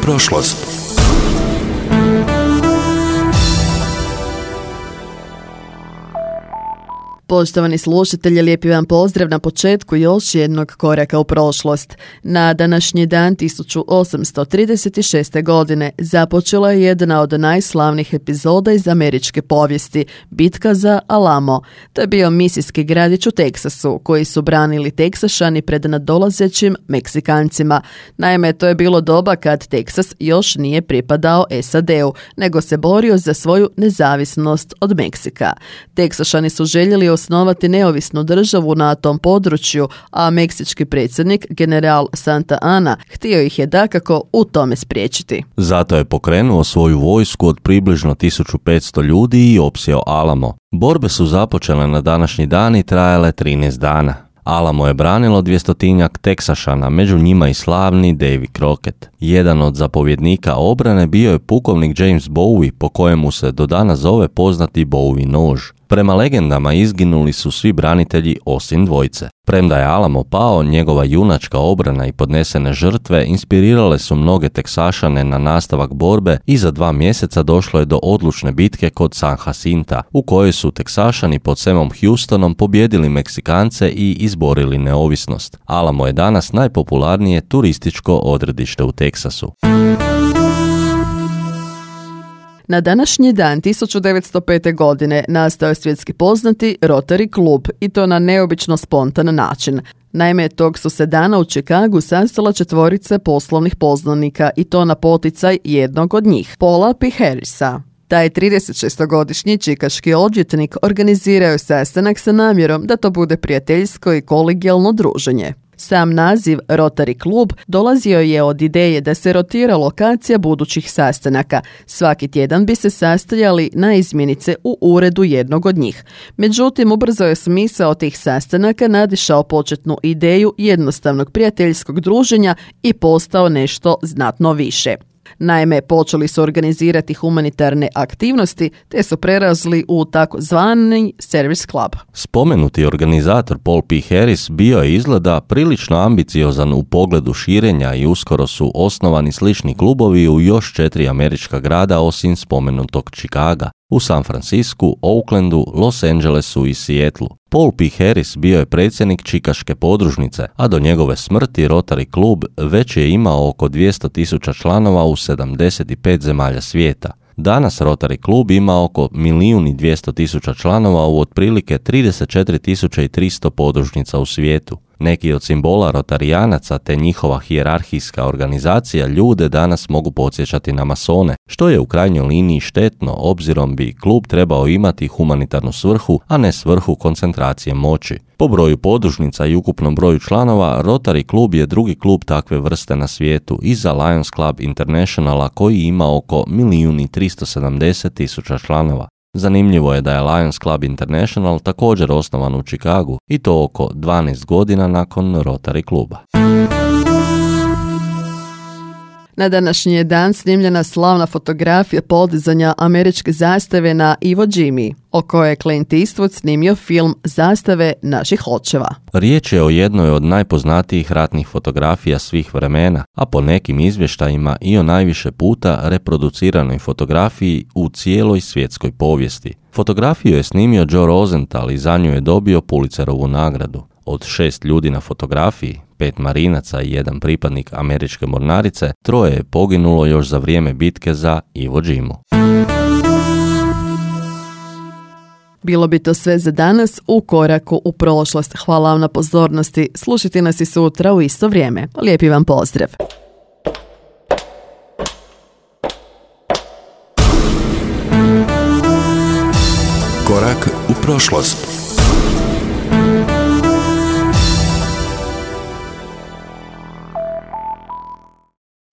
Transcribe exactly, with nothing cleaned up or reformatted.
prošlost. Poštovani slušatelji, lijepi vam pozdrav na početku još jednog koraka u prošlost. Na današnji dan tisuću osamsto trideset šeste. godine započela je jedna od najslavnijih epizoda iz američke povijesti, bitka za Alamo. To je bio misijski gradić u Teksasu, koji su branili Teksašani pred nadolazećim Meksikancima. Naime, to je bilo doba kad Teksas još nije pripadao es a de u, nego se borio za svoju nezavisnost od Meksika. Teksašani su željeli osnovati neovisnu državu na tom području, a meksički predsjednik, general Santa Ana, htio ih je dakako u tome spriječiti. Zato je pokrenuo svoju vojsku od približno tisuću petsto ljudi i opsjeo Alamo. Borbe su započele na današnji dan i trajale trinaest dana. Alamo je branilo dvjestotinjak Teksašana, među njima i slavni Davy Crockett. Jedan od zapovjednika obrane bio je pukovnik James Bowie, po kojemu se do dana zove poznati Bowie nož. Prema legendama izginuli su svi branitelji osim dvojice. Premda je Alamo pao, njegova junačka obrana i podnesene žrtve inspirirale su mnoge Teksašane na nastavak borbe i za dva mjeseca došlo je do odlučne bitke kod San Jacinta, u kojoj su Teksašani pod Samom Houstonom pobijedili Meksikance i izborili neovisnost. Alamo je danas najpopularnije turističko odredište u Teksasu. Na današnji dan tisuću devetsto pete. godine nastao je svjetski poznati Rotary klub, i to na neobično spontan način. Naime, tog su se dana u Chicagu sastala četvorica poslovnih poznanika, i to na poticaj jednog od njih, Paula P. Harrisa. Taj tridesetšestogodišnji čikaški odvjetnik organizirao je sastanak sa namjerom da to bude prijateljsko i kolegijalno druženje. Sam naziv Rotary klub dolazio je od ideje da se rotira lokacija budućih sastanaka. Svaki tjedan bi se sastajali na izmjenice u uredu jednog od njih. Međutim, ubrzo je smisao tih sastanaka nadišao početnu ideju jednostavnog prijateljskog druženja i postao nešto znatno više. Naime, počeli su organizirati humanitarne aktivnosti, te su prerazli u takozvani Service Club. Spomenuti organizator Paul P. Harris bio je izgleda prilično ambiciozan u pogledu širenja i uskoro su osnovani slični klubovi u još četiri američka grada osim spomenutog Chicaga, u San Francisku, Oaklandu, Los Angelesu i Seattlu. Paul P. Harris bio je predsjednik čikaške podružnice, a do njegove smrti Rotary klub već je imao oko dvjesto tisuća članova u sedamdeset pet zemalja svijeta. Danas Rotary klub ima oko milijun i dvjesto tisuća članova u otprilike trideset četiri tisuće tristo podružnica u svijetu. Neki od simbola rotarijanaca te njihova hijerarhijska organizacija ljude danas mogu podsjećati na masone, što je u krajnjoj liniji štetno, obzirom bi klub trebao imati humanitarnu svrhu, a ne svrhu koncentracije moći. Po broju podružnica i ukupnom broju članova, Rotary klub je drugi klub takve vrste na svijetu, iza Lions Club Internationala koji ima oko milijun i tristo sedamdeset tisuća članova. Zanimljivo je da je Lions Club International također osnovan u Chicagu, i to oko dvanaest godina nakon Rotary kluba. Na današnji je dan snimljena slavna fotografija podizanja američke zastave na Iwo Jimi, o kojoj je Clint Eastwood snimio film Zastave naših očeva. Riječ je o jednoj od najpoznatijih ratnih fotografija svih vremena, a po nekim izvještajima i o najviše puta reproduciranoj fotografiji u cijeloj svjetskoj povijesti. Fotografiju je snimio Joe Rosenthal i za nju je dobio Pulitzerovu nagradu. Od šest ljudi na fotografiji, pet marinaca i jedan pripadnik američke mornarice, troje je poginulo još za vrijeme bitke za Iwo Jimu. Bilo bi to sve za danas u koraku u prošlost. Hvala vam na pozornosti. Slušajte nas i sutra u isto vrijeme. Lijepi vam pozdrav. Korak u prošlost.